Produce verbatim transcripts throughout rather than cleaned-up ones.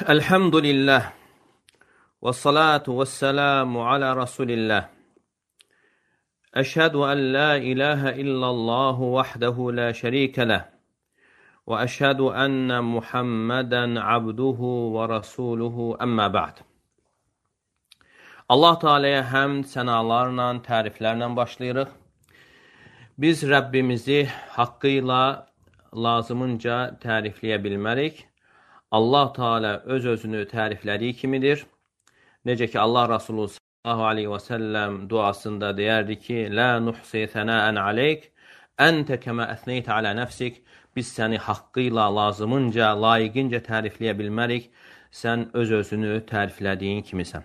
Elhamdülillah ve salatu ve selamu ala Resulillah. Eşhedü en la ilahe illallah vahdehu la şerike leh ve eşhedü enne Muhammeden abduhu ve rasuluhu emmə ba'd. Allah Teala'ya həmd, sənalarla, təriflərlə başlayırıq. Biz Rəbbimizi haqqıyla, lazımınca tərifləyə bilmərik. Allah Teala öz-özünü təriflədiyi kimidir. Necə ki, Allah Resulü sallallahu aleyhi və səlləm duasında deyərdi ki, Lə nuhsi sənəən aleyk, əntə kəmə əsneytə alə nəfsik. Biz səni haqqıyla, lazımınca, layiqincə tərifləyə bilmərik. Sən öz-özünü təriflədiyin kimisən.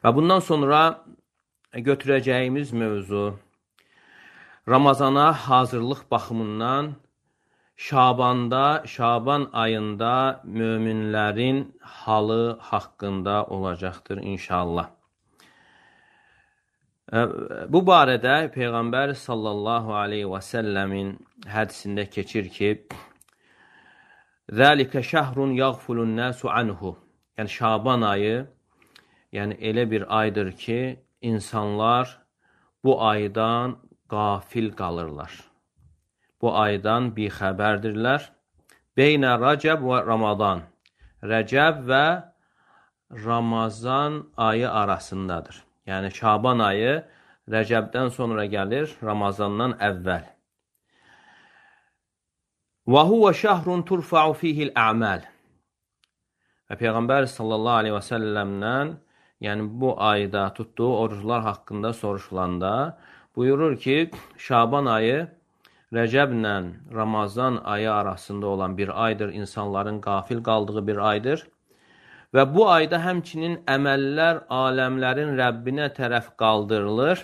Və bundan sonra götürəcəyimiz mövzu Ramazana hazırlıq baxımından Şabanda, Şaban ayında möminlərin halı haqqında olacaqdır inşallah. Bu barədə Peyğəmbər sallallahu aleyhi və səlləmin hədisində keçir ki, Zəlikə şəhrun yəğfulun nəsu anhu. Yəni Şaban ayı, yəni elə bir aydır ki, insanlar bu aydan qafil qalırlar. Bu aydan bixəbərdirlər. Beynə Rəcəb və Ramazan. Rəcəb və Ramazan ayı arasındadır. Yəni Şaban ayı Rəcəbdən sonra gəlir, Ramazandan əvvəl. Və huvə şəhrun turfa'u fihil ə'məl. Və Peyğəmbər sallallahu aleyhi və səlləmdən, yəni bu ayda tutduğu oruclar haqqında soruşulanda buyurur ki, Şaban ayı Rəcəblə Ramazan ayı arasında olan bir aydır, insanların qafil qaldığı bir aydır. Və bu ayda həmçinin əməllər aləmlərin Rəbbinə tərəf qaldırılır.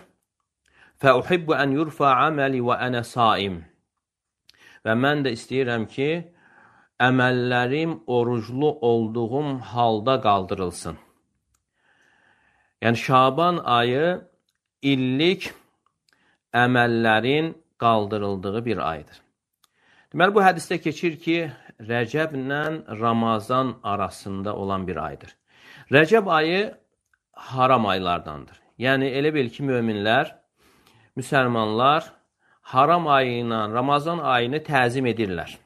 Fəuhibbu ən yurfa əməli və ənə saim. Və mən də istəyirəm ki, əməllərim oruclu olduğum halda qaldırılsın. Yəni Şaban ayı illik əməllərin qaldırıldığı bir aydır. Deməli, bu hədisdə keçir ki, Rəcəblə Ramazan arasında olan bir aydır. Rəcəb ayı haram aylardandır. Yəni, elə bil ki, möminlər, müsəlmanlar haram ayı ilə Ramazan ayını təzim edirlər.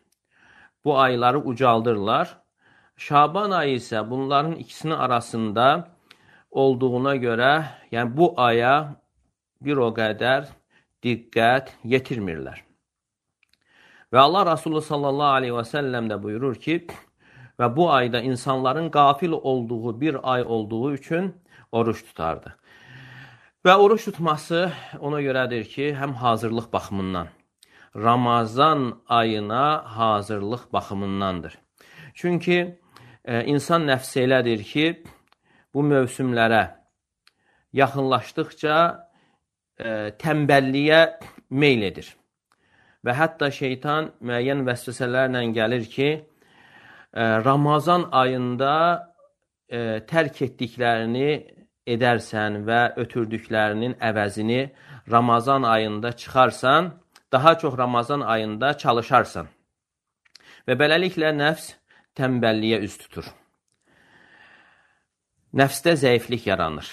Bu ayları ucaldırlar. Şaban ayı isə bunların ikisinin arasında olduğuna görə, yəni bu aya bir o qədər diqqət yetirmirlər. Və Allah Resulü sallallahu aleyhi və səlləm də buyurur ki, və bu ayda insanların qafil olduğu bir ay olduğu üçün oruç tutardı. Və oruç tutması ona görədir ki, həm hazırlıq baxımından, Ramazan ayına hazırlıq baxımındandır. Çünki e, insan nəfsi elədir ki, bu mövsümlərə yaxınlaşdıqca e, tənbəlliyə meyl edir. Və hətta şeytan müəyyən vəsvəsələrlə gəlir ki, e, Ramazan ayında e, tərk etdiklərini edərsən və ötürdüklərinin əvəzini Ramazan ayında çıxarsan, daha çox Ramazan ayında çalışarsan. Və beləliklə nəfs tənbəlliyə üz tutur. Nəfsdə zəiflik yaranır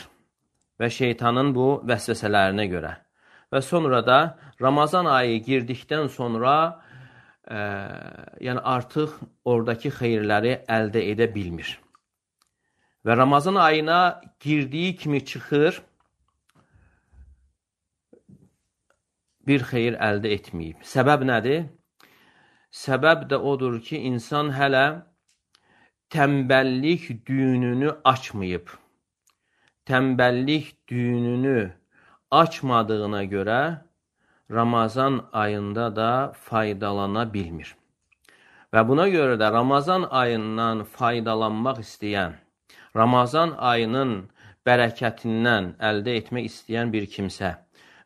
və şeytanın bu vəsvəsələrinə görə. Və sonra da Ramazan ayı girdikdən sonra e, yəni artıq oradakı xeyirləri əldə edə bilmir. Və Ramazan ayına girdiyi kimi çıxır, bir xeyir əldə etməyib. Səbəb nədir? Səbəb də odur ki, insan hələ tənbəllik düyününü açmayıb. Tənbəllik düyününü açmadığına görə Ramazan ayında da faydalana bilmir. Və buna görə də Ramazan ayından faydalanmaq istəyən, Ramazan ayının bərəkətindən əldə etmək istəyən bir kimsə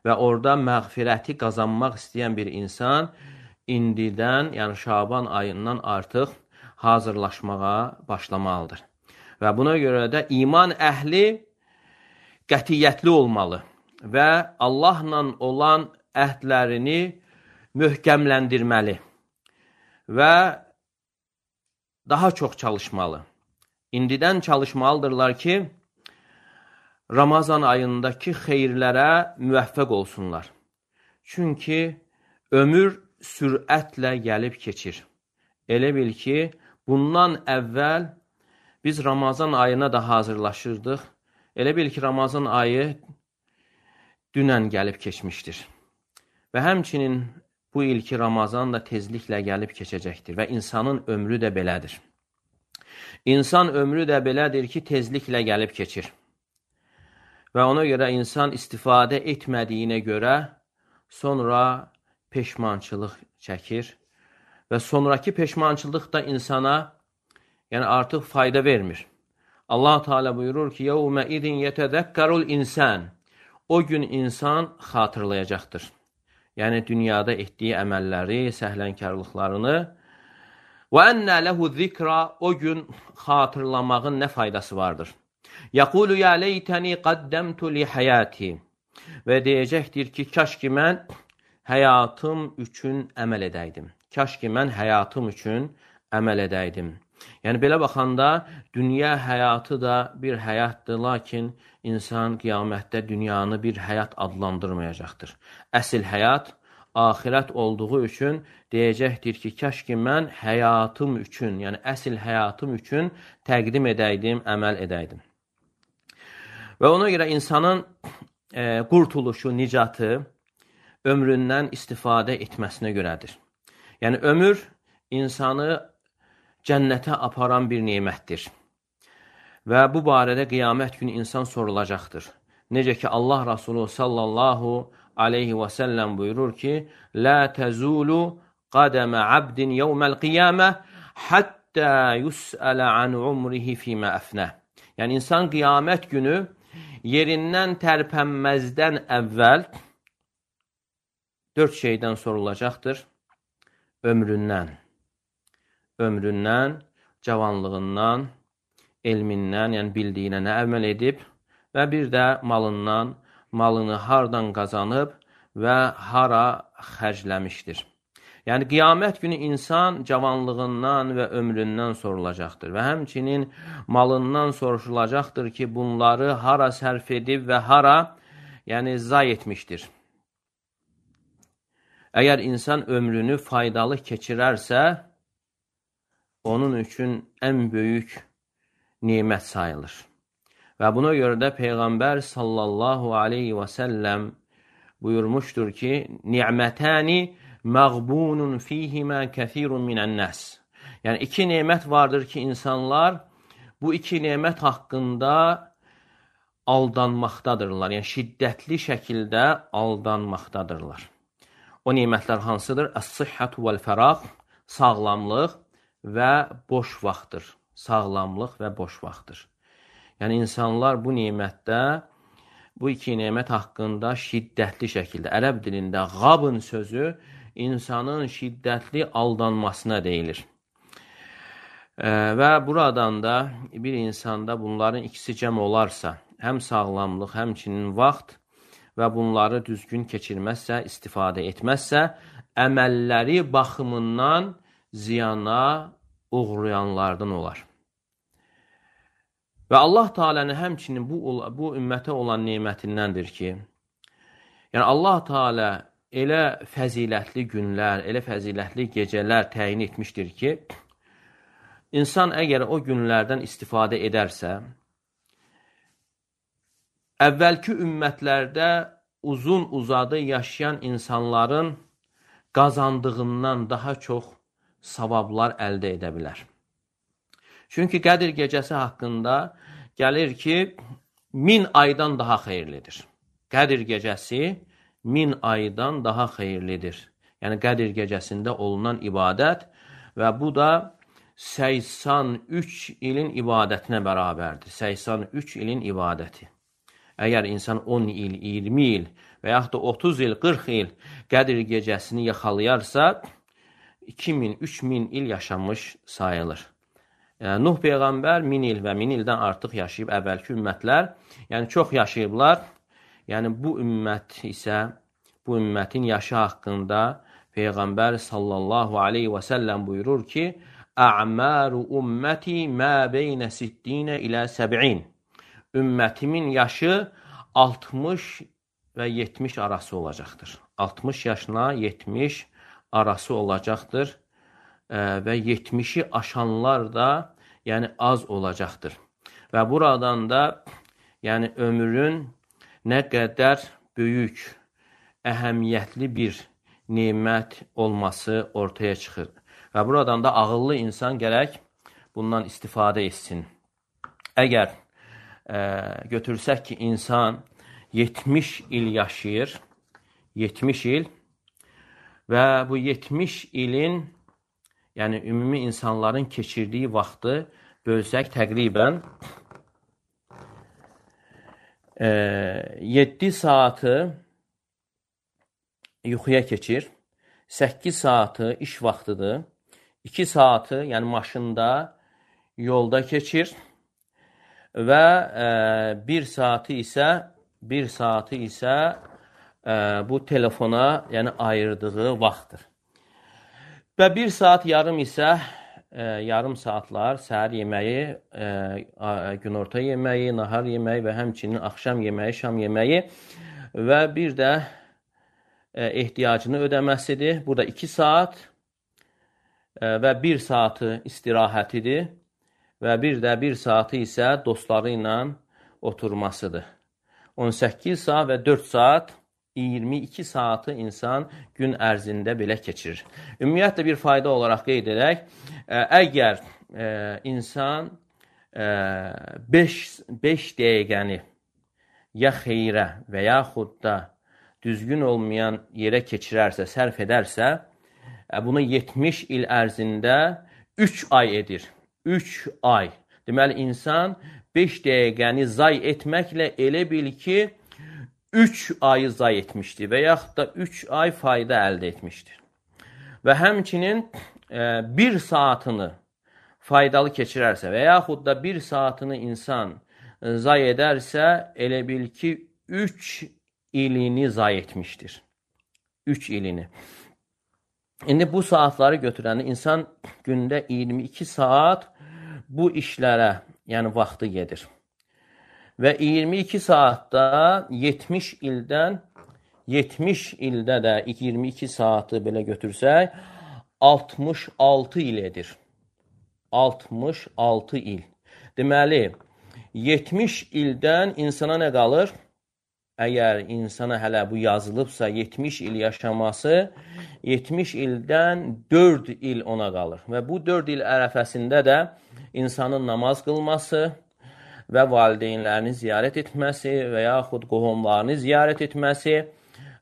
və orada məğfirəti qazanmaq istəyən bir insan indidən, yəni Şaban ayından artıq hazırlaşmağa başlamalıdır. Və buna görə də iman əhli qətiyyətli olmalı və Allahla olan əhdlərini möhkəmləndirməli və daha çox çalışmalı. İndidən çalışmalıdırlar ki, Ramazan ayındakı xeyirlərə müvəffəq olsunlar. Çünki ömür sürətlə gəlib keçir. Elə bil ki, bundan əvvəl biz Ramazan ayına da hazırlaşırdıq. Elə bil ki, Ramazan ayı dünən gəlib keçmişdir. Və həmçinin bu ilki Ramazan da tezliklə gəlib keçəcəkdir və insanın ömrü də belədir. İnsan ömrü də belədir ki, tezliklə gəlib keçir. Və ona görə insan istifadə etmədiyinə görə sonra peşmançılıq çəkir və sonraki peşmançılıq da insana yəni artıq fayda vermir. Allah Teala buyurur ki: "Yevme idin yetezekkerul insan." O gün insan xatırlayacaqdır. Yəni dünyada etdiyi əməlləri, səhlənkarlıqlarını. "Və ennə lehu zikra." O gün xatırlamağın nə faydası vardır? "Yaqulu ya leyteni qaddamtu li hayati." Və deyəcəkdir ki, kaş ki mən həyatım üçün əməl edəydim. Kaş ki mən həyatım üçün əməl edəydim. Yəni belə baxanda dünya həyatı da bir həyatdır, lakin insan qiyamətdə dünyanı bir həyat adlandırmayacaqdır. Əsl həyat axirət olduğu üçün deyəcəkdir ki, kaş ki mən həyatım üçün, yəni əsl həyatım üçün təqdim edəydim, əməl edəydim. Və ona görə insanın e, qurtuluşu, nicatı ömründən istifadə etməsinə görədir. Yəni ömür insanı cənnətə aparan bir nemətdir. Və bu barədə qiyamət günü insan sorulacaqdır. Necə ki Allah Rasulü sallallahu aleyhi və səlləm buyurur ki: "La tezulu qadama abdin yawmal qiyamah hatta yus'ala an umrihi fima afna." Yəni insan qiyamət günü yerindən tərpənməzdən əvvəl dörd şeydən sorulacaqdır. Ömründən, ömründən, cavanlığından, elmindən, yəni bildiyinə nə əməl edib və bir də malından, malını hardan qazanıb və hara xərcləmişdir. Yəni qiyamət günü insan cavanlığından və ömründən sorulacaqdır və həmçinin malından soruşulacaqdır ki, bunları hara sərf edib və hara yəni zay etmişdir. Əgər insan ömrünü faydalı keçirərsə, onun üçün ən böyük nemət sayılır. Və buna görə də Peyğəmbər sallallahu aleyhi və səlləm buyurmuşdur ki: "Ni'mətəni məğbunun fihimə kəthirun minən-nəs." Yəni iki nemət vardır ki, insanlar bu iki nemət haqqında aldanmaqdadırlar. Yəni şiddətli şəkildə aldanmaqdadırlar. O nemətlər hansıdır? Əs-sihhatu vəl-fəraq, sağlamlıq və boş vaxtdır. Sağlamlıq və boş vaxtdır. Yəni insanlar bu nemətdə, bu iki nemət haqqında şiddətli şəkildə, ərəb dilində qabın sözü insanın şiddətli aldanmasına deyilir. E, və buradan da bir insanda bunların ikisi cəm olarsa, həm sağlamlıq, həmçinin vaxt və bunları düzgün keçirməzsə, istifadə etməzsə, əməlləri baxımından ziyana uğrayanlardan olar. Və Allah Teala'nın həmçinin bu, bu ümmətə olan nemətindəndir ki, yəni Allah Teala elə fəzilətli günlər, elə fəzilətli gecələr təyin etmişdir ki, insan əgər o günlərdən istifadə edərsə, əvvəlki ümmətlərdə uzun uzadı yaşayan insanların qazandığından daha çox savablar əldə edə bilər. Çünki Qədir gecəsi haqqında gəlir ki, min aydan daha xeyirlidir. Qədir gecəsi min aydan daha xeyirlidir. Yəni Qədir gecəsində olunan ibadət və bu da səksən üç ilin ibadətinə bərabərdir. səksən üç ilin ibadəti. Əgər insan on il, iyirmi il və yaxud da otuz il, qırx il Qədir gecəsini yaxalayarsa, iki min, üç min il yaşamış sayılır. Yəni, Nuh Peyğəmbər min il və min ildən artıq yaşayıb əvvəlki ümmətlər, yəni çox yaşayıblar. Yəni bu ümmət isə, bu ümmətin yaşı haqqında Peyğəmbər sallallahu aleyhi və səlləm buyurur ki, A'maru ümmeti ma beyne sittinə ilə səb'in. Ümmətimin yaşı altmış və yetmiş arası olacaqdır. altmış yaşına yetmiş arası olacaqdır və yetmişi aşanlar da yəni az olacaqdır. Və buradan da yəni ömrün nə qədər böyük, əhəmiyyətli bir nemət olması ortaya çıxır. Və buradan da ağıllı insan gərək bundan istifadə etsin. Əgər e, götürsək ki, insan yetmiş il yaşayır, yetmiş il və bu yetmiş ilin, yəni ümumi insanların keçirdiyi vaxtı bölsək təqribən e, yeddi saatı yuxuya keçir, səkkiz saatı iş vaxtıdır, iki saatı, yəni maşında, yolda keçir və e, bir saatı isə bir saatı isə e, bu telefona yəni ayırdığı vaxtdır. Və bir saat yarım isə e, yarım saatlar səhər yeməyi, e, günorta yeməyi, nahar yeməyi və həmçinin axşam yeməyi, şam yeməyi və bir də e, ehtiyacını ödəməsidir. Burada iki saat e, və bir saatı istirahətidir və bir də bir saatı isə dostları ilə oturmasıdır. on səkkiz saat və dörd saat, iyirmi iki saatı insan gün ərzində belə keçirir. Ümumiyyətlə bir fayda olaraq qeyd edək, əgər e, insan beş dəqiqəni ya xeyrə və yaxud da düzgün olmayan yerə keçirərsə, sərf edərsə, bunu yetmiş il ərzində üç ay edir. üç ay. Deməli, insan beş dəqiqəni zay etməklə elə bil ki, üç ayı zay etmişdir və yaxud da üç ay fayda əldə etmişdir. Və həmçinin e, bir saatını faydalı keçirərsə və yaxud da bir saatını insan e, zay edərsə, elə bil ki, üç ilini zay etmişdir. üç ilini. İndi bu saatları götürəndə insan gündə iyirmi iki saat bu işlərə, yəni vaxtı gedir. Və iyirmi iki saatda yetmiş ildən, yetmiş ildə də iyirmi iki saatı belə götürsək, altmış altı il edir. altmış altı il. Deməli, yetmiş ildən insana nə qalır? Əgər insana hələ bu yazılıbsa yetmiş il yaşaması, yetmiş ildən dörd il ona qalır. Və bu dörd il ərəfəsində də insanın namaz qılması və valideynlərini ziyarət etməsi və yaxud qohumlarını ziyarət etməsi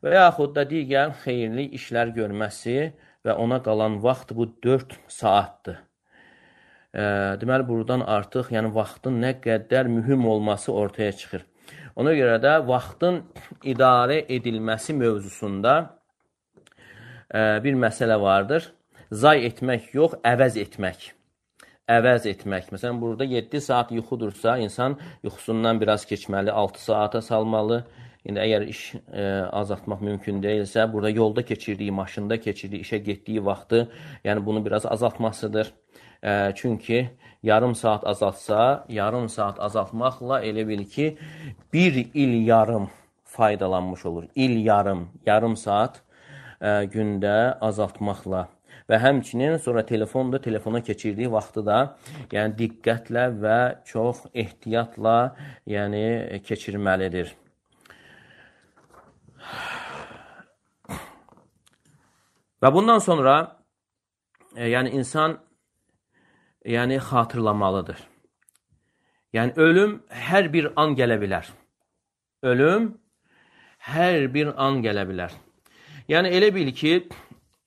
və yaxud da digər xeyirli işlər görməsi və ona qalan vaxt bu dörd saatdır. E, deməli, buradan artıq yəni, vaxtın nə qədər mühüm olması ortaya çıxır. Ona görə də vaxtın idarə edilməsi mövzusunda e, bir məsələ vardır. Zay etmək yox, əvəz etmək. Əvəz etmək. Məsələn, burada yeddi saat yuxudursa, insan yuxusundan biraz keçməli, altı saata salmalı. İndi əgər iş e, azaltmaq mümkün deyilsə, burada yolda keçirdiyi, maşında keçirdiyi, işə getdiyi vaxtı, yəni bunu biraz azaltmasıdır. E, çünki yarım saat azaltsa, yarım saat azaltmaqla elə bil ki, bir il yarım faydalanmış olur. İl yarım, yarım saat e, gündə azaltmaqla. Və həmçinin sonra telefonda, telefona keçirdiyi vaxtı da yəni diqqətlə və çox ehtiyatla yəni keçirməlidir. Və bundan sonra e, yəni insan yəni xatırlamalıdır. Yəni ölüm hər bir an gələ bilər. Ölüm hər bir an gələ bilər. Yəni elə bil ki,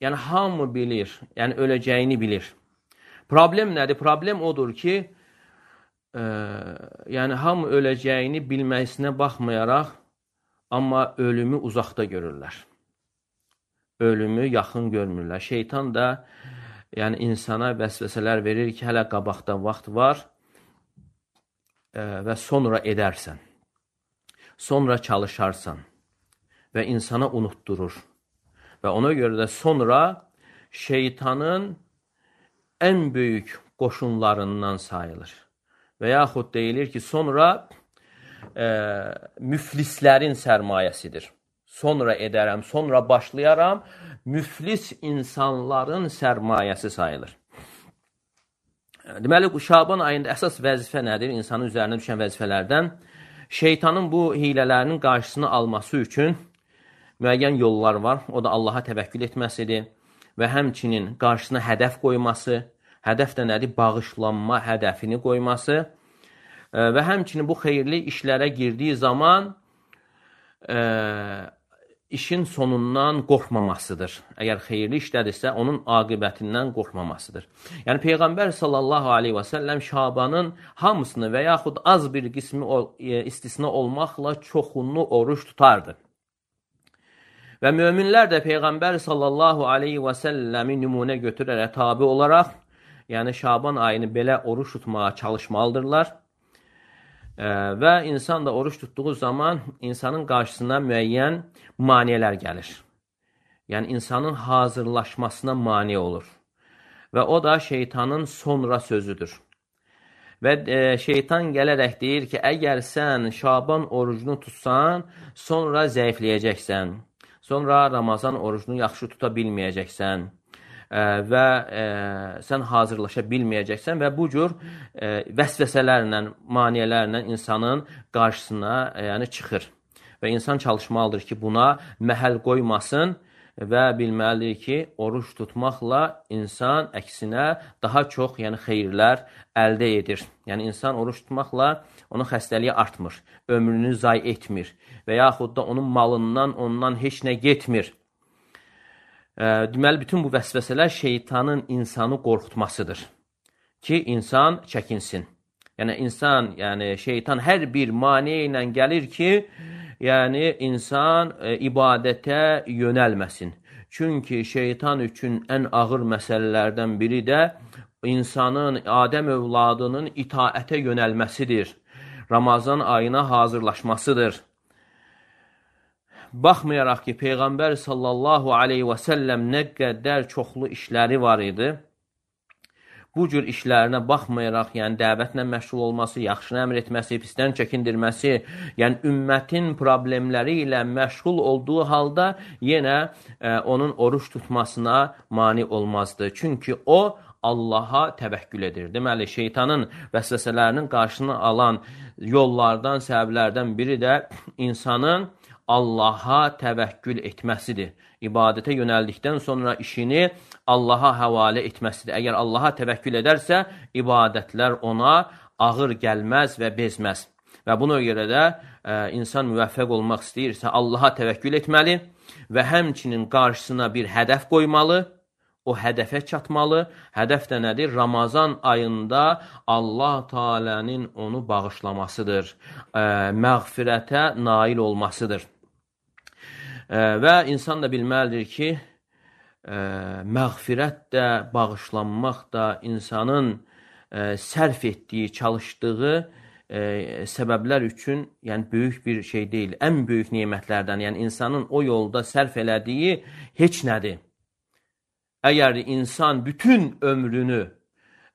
yəni hamı bilir, yəni öləcəyini bilir. Problem nədir? Problem odur ki, e, yəni hamı öləcəyini bilməsinə baxmayaraq, amma ölümü uzaqda görürlər. Ölümü yaxın görmürlər. Şeytan da yəni insana vəsvəsələr verir ki, hələ qabaqda vaxt var e, və sonra edərsən. Sonra çalışarsan və insana unutdurur. Və ona görə də sonra şeytanın ən böyük qoşunlarından sayılır. Və yaxud deyilir ki, sonra e, müflislərin sərmayəsidir. Sonra edərəm, sonra başlayaram, müflis insanların sərmayəsi sayılır. Deməli, Şaban ayında əsas vəzifə nədir? İnsanın üzərinə düşən vəzifələrdən şeytanın bu hilələrinin qarşısını alması üçün müəyyən yollar var. O da Allaha təvəkkül etməsidir və həmçinin qarşısına hədəf qoyması. Hədəf də nədir? Bağışlanma hədəfini qoyması və həmçinin bu xeyirli işlərə girdiyi zaman e, işin sonundan qorxmamasıdır. Əgər xeyirli işlədirsə, onun aqibətindən qorxmamasıdır. Yəni, Peyğəmbər sallallahu aleyhi və səlləm Şabanın hamısını və yaxud az bir qismi istisna olmaqla çoxunu oruç tutardı. Və möminlər də Peyğəmbər sallallahu aleyhi və səlləmi nümunə götürərək tabi olaraq, yəni Şaban ayını belə oruç tutmağa çalışmalıdırlar. Və insan da oruç tutduğu zaman insanın qarşısına müəyyən maneələr gəlir. Yəni, insanın hazırlaşmasına mane olur. Və o da şeytanın sonra sözüdür. Və e, şeytan gələrək deyir ki, əgər sən Şaban orucunu tutsan, sonra zəifləyəcəksən. Sonra Ramazan orucunu yaxşı tuta bilməyəcəksən. Və e, sən hazırlaşa bilməyəcəksən və bu cür e, vəsvəsələrlə, maniyələrlə insanın qarşısına e, yəni çıxır. Və insan çalışmalıdır ki, buna məhəl qoymasın və bilməlidir ki, oruç tutmaqla insan əksinə daha çox yəni xeyirlər əldə edir. Yəni insan oruç tutmaqla onun xəstəliyi artmır, ömrünü zay etmir və yaxud da onun malından ondan heç nə getmir. Deməli, bütün bu vəsvəsələr şeytanın insanı qorxutmasıdır ki, insan çəkinsin. Yəni, insan, yəni şeytan hər bir maneə ilə gəlir ki, yəni insan e, ibadətə yönəlməsin. Çünki şeytan üçün ən ağır məsələlərdən biri də insanın, Adəm övladının itaətə yönəlməsidir. Ramazan ayına hazırlaşmasıdır. Baxmayaraq ki, Peyğəmbər sallallahu aleyhi və səlləm nə qədər çoxlu işləri var idi. Bu cür işlərinə baxmayaraq, yəni dəvətlə məşğul olması, yaxşını əmr etməsi, pisdən çəkindirməsi, yəni ümmətin problemləri ilə məşğul olduğu halda yenə e, onun oruç tutmasına mane olmazdı. Çünki o, Allaha təvəkkül edir. Deməli, şeytanın vəsvəsələrinin qarşısını alan yollardan, səbəblərdən biri də insanın Allaha təvəkkül etməsidir. İbadətə yönəldikdən sonra işini Allaha həvalə etməsidir. Əgər Allaha təvəkkül edərsə, ibadətlər ona ağır gəlməz və bezməz. Və buna görə də e, insan müvəffəq olmaq istəyirsə, Allaha təvəkkül etməli və həmçinin qarşısına bir hədəf qoymalı, o hədəfə çatmalı. Hədəf də nədir? Ramazan ayında Allah Teala'nın onu bağışlamasıdır, e, məğfirətə nail olmasıdır. Və insan da bilməlidir ki, ə, məğfirət də, bağışlanmaq da insanın ə, sərf etdiyi, çalışdığı ə, səbəblər üçün yəni, böyük bir şey deyil. Ən böyük nemətlərdən, yəni insanın o yolda sərf elədiyi heç nədir. Əgər insan bütün ömrünü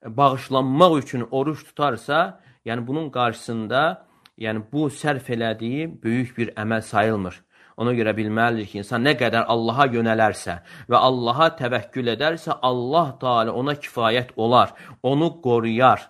bağışlanmaq üçün oruç tutarsa, yəni bunun qarşısında yəni, bu sərf elədiyi böyük bir əməl sayılmır. Ona görə bilməlidir ki, insan nə qədər Allaha yönələrsə və Allaha təvəkkül edərsə, Allah Teala ona kifayət olar, onu qoruyar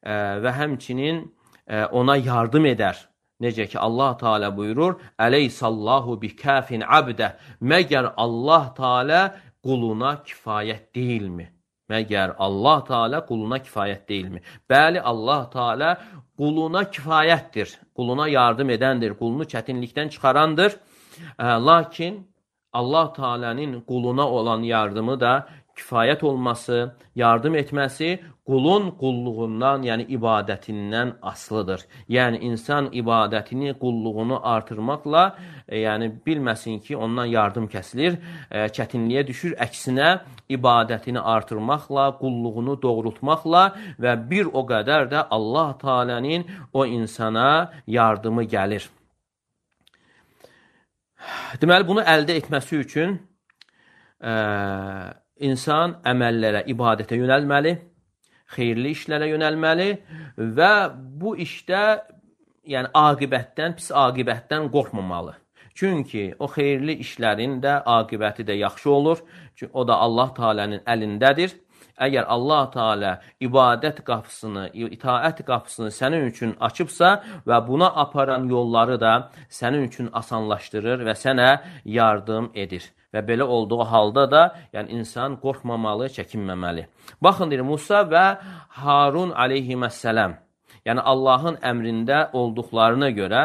e, və həmçinin e, ona yardım edər. Necə ki, Allah Teala buyurur, Əleyhissallahu bikafin abdə, məgər Allah Teala quluna kifayət deyilmi? Məgər Allah Teala quluna kifayət deyilmi? Bəli, Allah Teala quluna kifayətdir, quluna yardım edəndir, qulunu çətinlikdən çıxarandır. Lakin Allah Teala'nın quluna olan yardımı da kifayət olması, yardım etməsi qulun qulluğundan, yəni ibadətindən asılıdır. Yəni insan ibadətini, qulluğunu artırmaqla, e, yəni bilməsin ki, ondan yardım kəsilir, e, çətinliyə düşür. Əksinə ibadətini artırmaqla, qulluğunu doğrultmaqla və bir o qədər də Allah Teala'nın o insana yardımı gəlir. Deməli, bunu əldə etməsi üçün ə, insan əməllərə, ibadətə yönəlməli, xeyirli işlərə yönəlməli və bu işdə yəni aqibətdən, pis aqibətdən qorxmamalı. Çünki o xeyirli işlərin də aqibəti də yaxşı olur. Çünki o da Allah Teala'nın əlindədir. Əgər Allah Teala ibadət qapısını, itaət qapısını sənin üçün açıbsa və buna aparan yolları da sənin üçün asanlaşdırır və sənə yardım edir. Və belə olduğu halda da yəni insan qorxmamalı, çəkinməməli. Baxın, deyir, Musa və Harun aleyhissalam, yəni Allahın əmrində olduqlarına görə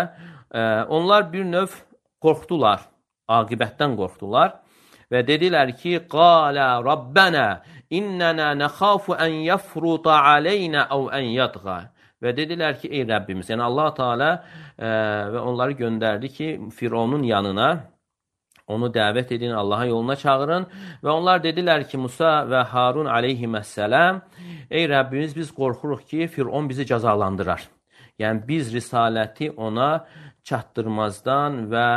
e, onlar bir növ qorxdular, aqibətdən qorxdular və dedilər ki, qalə Rabbənə innənə nəxafu ən yəfruta aleynə əv ən yadğa. Və dedilər ki, ey Rəbbimiz, yəni Allah Teala e, və onları göndərdi ki, Fironun yanına, onu dəvət edin, Allah'a yoluna çağırın və onlar dedilər ki, Musa və Harun aleyhissalam, ey Rəbbimiz, biz qorxuruq ki, Firon bizi cəzalandırar. Yəni biz risaləti ona çatdırmazdan və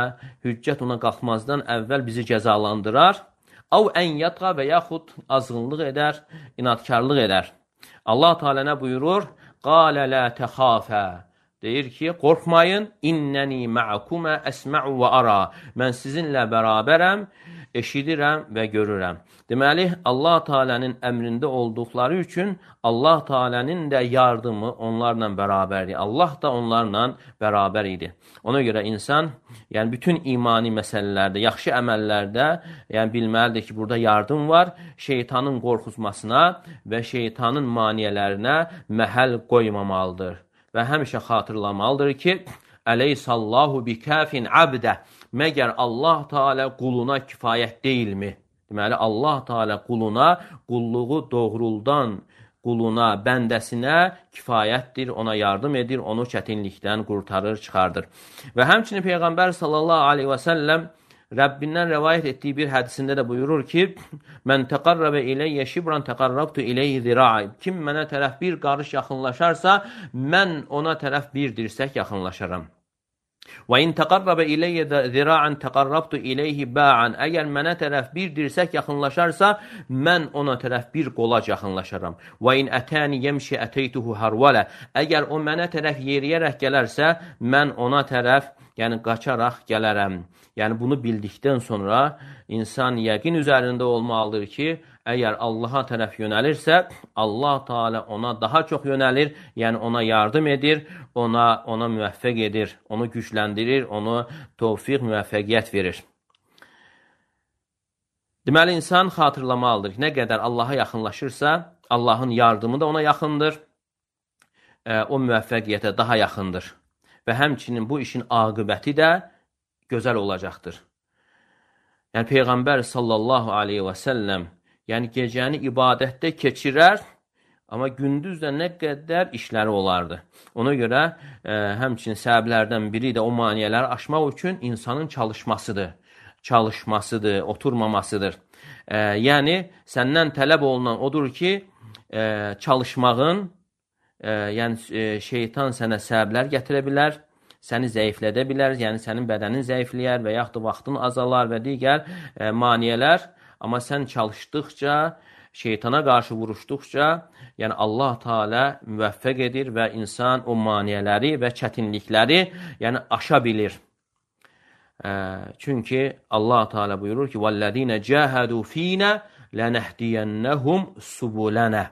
hüccət ona qalxmazdan əvvəl bizi cəzalandırar. Av ən yatqa və yaxud azğınlıq edər, inadkarlıq edər. Allah Teala nə buyurur? Qalə lə təxafə. Deyir ki, qorxmayın, innəni mə'kumə əsmə'u və ara. Mən sizinlə bərabərəm, eşidirəm və görürəm. Deməli, Allah Teala'nın əmrində olduqları üçün Allah Teala'nın da yardımı onlarla bərabərdir. Allah da onlarla bərabər idi. Ona görə insan, yəni bütün imani məsələlərdə, yaxşı əməllərdə, yəni bilməlidir ki, burada yardım var. Şeytanın qorxuzmasına və şeytanın maniyələrinə məhəl qoymamalıdır. Və həmişə xatırlamalıdır ki, Əleyhissallahu bikəfin abdə. Məgər Allah Teala quluna kifayət deyilmi? Deməli, Allah Teala quluna, qulluğu doğruldan quluna, bəndəsinə kifayətdir, ona yardım edir, onu çətinlikdən qurtarır, çıxardır. Və həmçinin Peyğəmbər sallallahu aleyhi və səlləm Rəbbindən rəvayət etdiyi bir hədisində də buyurur ki, mən təqarrəbə iləyyə şibran təqarrabtu iləyhi zira'i. Kim mənə tərəf bir qarış yaxınlaşarsa, mən ona tərəf bir dirsək yaxınlaşaram. Və in təqarrəbə iləyyə zira'an təqarrabtu iləyhi ba'an. Əgər mənə tərəf bir dirsək yaxınlaşarsa, mən ona tərəf bir qolac yaxınlaşaram. Və in ətəni yemşi əteytuhu harvalə. Əgər o mənə tərəf yeriyərək gələrsə, mən ona tərəf, yəni qaçaraq gələrəm. Yəni bunu bildikdən sonra insan yəqin üzərində olmalıdır ki, əgər Allaha tərəf yönəlirsə, Allah Teala ona daha çox yönəlir, yəni ona yardım edir, ona ona müvəffəq edir, onu gücləndirir, onu tövfiq, müvəffəqiyyət verir. Deməli, insan xatırlamalıdır ki, nə qədər Allaha yaxınlaşırsa, Allahın yardımı da ona yaxındır, o müvəffəqiyyətə daha yaxındır. Və həmçinin bu işin aqibəti də gözəl olacaqdır. Yəni, Peyğəmbər sallallahu aleyhi və səlləm, yəni gecəni ibadətdə keçirər, amma gündüz də nə qədər işləri olardı. Ona görə ə, həmçinin səbəblərdən biri də o maniyələri aşmaq üçün insanın çalışmasıdır. Çalışmasıdır, oturmamasıdır. Ə, yəni, səndən tələb olunan odur ki, ə, çalışmağın, ə, yəni ə, şeytan sənə səbəblər gətirə bilər, səni zəiflədə bilər, yəni sənin bədənin zəifləyər və yaxud da vaxtın azalar və digər e, maniyələr. Amma sən çalışdıqca, şeytana qarşı vuruşduqca, yəni Allah Teala müvəffəq edir və insan o maniyələri və çətinlikləri yəni aşa bilir. E, çünki Allah Teala buyurur ki, وَالَّذِينَ جَاهَدُوا ف۪ينَ لَنَهْدِيَنَّهُمْ سُبُولَنَ.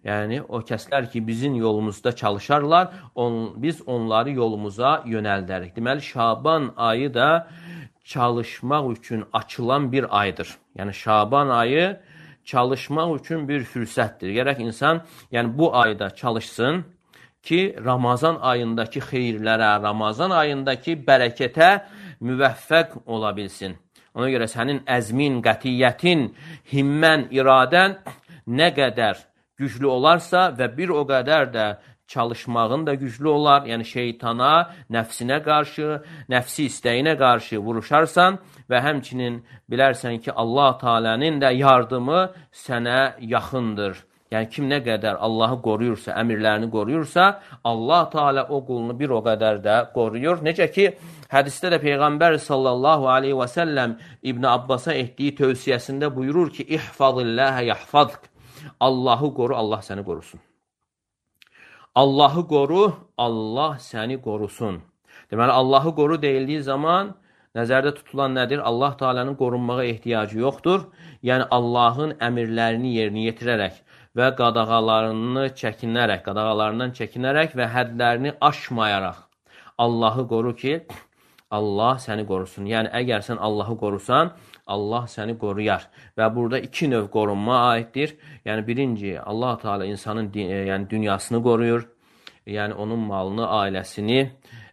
Yəni, o kəslər ki, bizim yolumuzda çalışarlar, on, biz onları yolumuza yönəldərik. Deməli, Şaban ayı da çalışmaq üçün açılan bir aydır. Yəni, Şaban ayı çalışmaq üçün bir fürsətdir. Gərək insan yəni, bu ayda çalışsın ki, Ramazan ayındakı xeyirlərə, Ramazan ayındakı bərəkətə müvəffəq ola bilsin. Ona görə sənin əzmin, qətiyyətin, himmən, iradən nə qədər güclü olarsa və bir o qədər də çalışmağın da güclü olar, yəni şeytana, nəfsinə qarşı, nəfsi istəyinə qarşı vuruşarsan və həmçinin bilərsən ki, Allah Teala'nın da yardımı sənə yaxındır. Yəni kim nə qədər Allahı qoruyursa, əmirlərini qoruyursa, Allah Teala o qulunu bir o qədər də qoruyur. Necə ki, hədisdə də Peyğəmbər sallallahu aleyhi və səlləm İbn Abbasa etdiyi tövsiyəsində buyurur ki, İhfazilləhə yahfazk. Allahı qoru, Allah səni qorusun. Allahı qoru, Allah səni qorusun. Deməli, Allahı qoru deyildiyi zaman nəzərdə tutulan nədir? Allah Teala'nın qorunmağa ehtiyacı yoxdur. Yəni, Allahın əmirlərini yerinə yetirərək və qadağalarını çəkinərək, qadağalarından çəkinərək və hədlərini aşmayaraq Allahı qoru ki, Allah səni qorusun. Yəni, əgər sən Allahı qorusan, Allah səni qoruyar. Və burada iki növ qorunma aiddir. Yəni, birinci, Allah Teala insanın yəni, dünyasını qoruyur. Yəni, onun malını, ailəsini,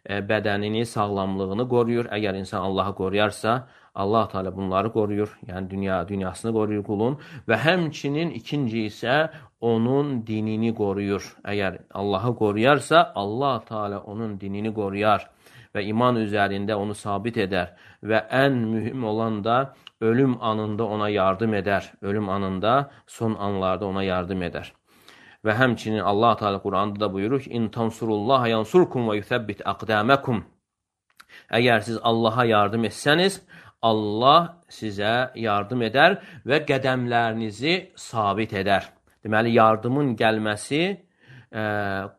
bədənini, sağlamlığını qoruyur. Əgər insan Allahı qoruyarsa, Allah Teala bunları qoruyur. Yəni, dünya, dünyasını qoruyur qulun. Və həmçinin ikinci isə onun dinini qoruyur. Əgər Allahı qoruyarsa, Allah Teala onun dinini qoruyar və iman üzərində onu sabit edər. Və ən mühüm olan da ölüm anında ona yardım edər. Ölüm anında, son anlarda ona yardım edər. Və həmçinin Allah Teala Quranda da buyurur ki, İn tansurullaha yansurkum və yuthabbit aqdamakum. Əgər siz Allaha yardım etsəniz, Allah sizə yardım edər və qədəmlərinizi sabit edər. Deməli, yardımın gəlməsi ə,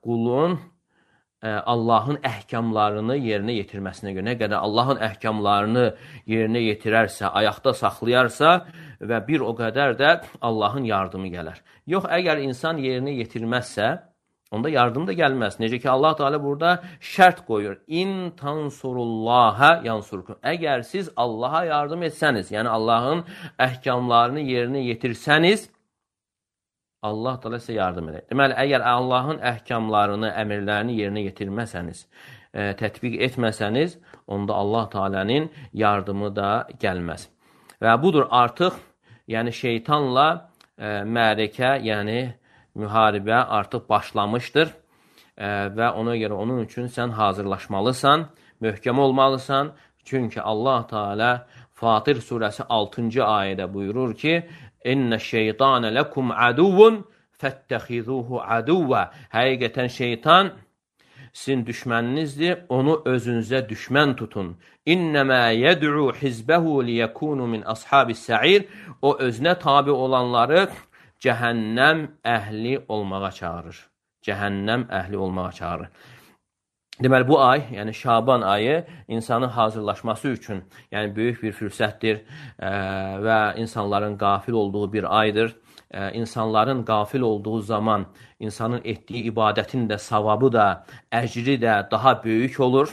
qulun ə, Allahın əhkamlarını yerinə yetirməsinə görə. Nə qədər Allahın əhkamlarını yerinə yetirərsə, ayaqda saxlayarsa və bir o qədər də Allahın yardımı gələr. Yox, əgər insan yerinə yetirməzsə, onda yardım da gəlməz. Necə ki, Allah Teala burada şərt qoyur. İn tansurullaha yansurkum. Əgər siz Allaha yardım etsəniz, yəni Allahın əhkamlarını yerinə yetirsəniz, Allah Teala sizə yardım edər. Deməli, əgər Allahın əhkamlarını, əmirlərini yerinə yetirməsəniz, ə, tətbiq etməsəniz, onda Allah Teala'nın yardımı da gəlməz. Və budur artıq, yəni şeytanla ə, mərəkə, yəni müharibə artıq başlamışdır ə, və ona görə onun üçün sən hazırlaşmalısan, möhkəm olmalısan. Çünki Allah Teala Fatir surəsi altıncı ayədə buyurur ki, İnnə şeytanə ləkum əduvun fəttəxizuhu əduvvə. Həqiqətən şeytan sizin düşməninizdir, onu özünüzə düşmən tutun. İnnəmə yəd'u hizbəhu liyəkunu min ashabis sə'ir. O özünə tabi olanları cəhənnəm əhli olmağa çağırır. Cəhənnəm əhli olmağa çağırır. Deməli, bu ay, yəni Şaban ayı insanın hazırlaşması üçün yəni böyük bir fürsətdir ə, və insanların qafil olduğu bir aydır. Ə, insanların qafil olduğu zaman insanın etdiyi ibadətin də savabı da, əcri də daha böyük olur.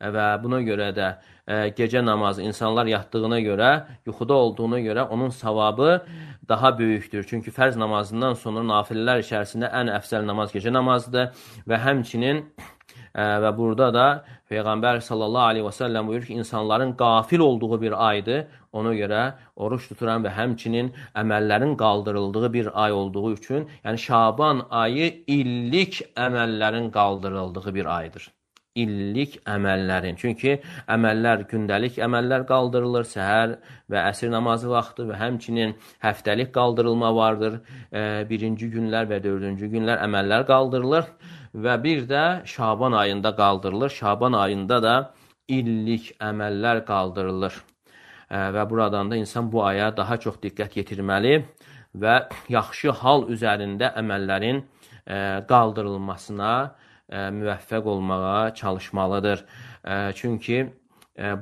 Və buna görə də ə, gecə namazı insanlar yatdığına görə, yuxuda olduğuna görə onun savabı daha böyükdür. Çünki fərz namazından sonra nafillər içərisində ən əfsəl namaz gecə namazıdır və həmçinin ə, və burada da Peyğəmbər sallallahu aleyhi və səlləm buyurur ki, insanların qafil olduğu bir aydır. Ona görə oruç tuturan və həmçinin əməllərin qaldırıldığı bir ay olduğu üçün, yəni Şaban ayı illik əməllərin qaldırıldığı bir aydır. İllik əməllərin. Çünki əməllər, gündəlik əməllər qaldırılır, səhər və əsr namazı vaxtı və həmçinin həftəlik qaldırılma vardır. E, birinci günlər və dördüncü günlər əməllər qaldırılır və bir də Şaban ayında qaldırılır. Şaban ayında da illik əməllər qaldırılır. E, və buradan da insan bu aya daha çox diqqət yetirməli və yaxşı hal üzərində əməllərin e, qaldırılmasına müvəffəq olmağa çalışmalıdır. Çünki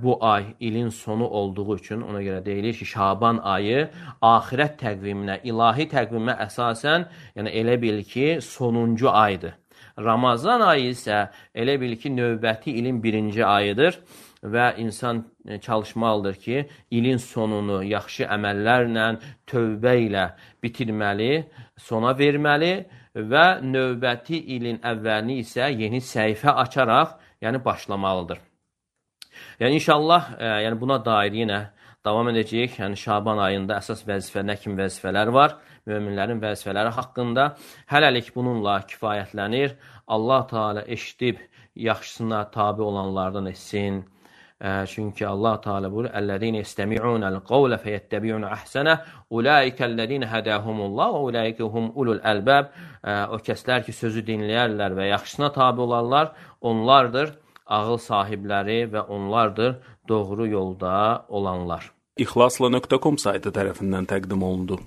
bu ay ilin sonu olduğu üçün ona görə deyilir ki, Şaban ayı axirət təqviminə, ilahi təqvimə əsasən, yəni elə bil ki, sonuncu aydır. Ramazan ayı isə elə bil ki, növbəti ilin birinci ayıdır və insan çalışmalıdır ki, ilin sonunu yaxşı əməllərlə, tövbə ilə bitirməli, sona verməli və növbəti ilin əvvəlini isə yeni səhifə açaraq, yəni başlamalıdır. Yəni inşallah, e, yəni buna dair yenə davam edəcəyik. Yəni Şaban ayında əsas vəzifə, nə kimi vəzifələr var? Möminlərin vəzifələri haqqında hələlik bununla kifayətlənir. Allah Teala eşidib yaxşısına tabi olanlardan etsin. Çünki Allah Teala buyurur: "Ellezine yestemi'unel kavle feyettabi'un ahsene. Ulaikellezine hedahumullah ve ulaikehum ulul albab." O kəslər ki, sözü dinləyərlər və yaxşısına tabe olarlar, onlardır ağıl sahibləri və onlardır doğru yolda olanlar. İxlasla nöqtə com saytı tərəfindən təqdim olundu.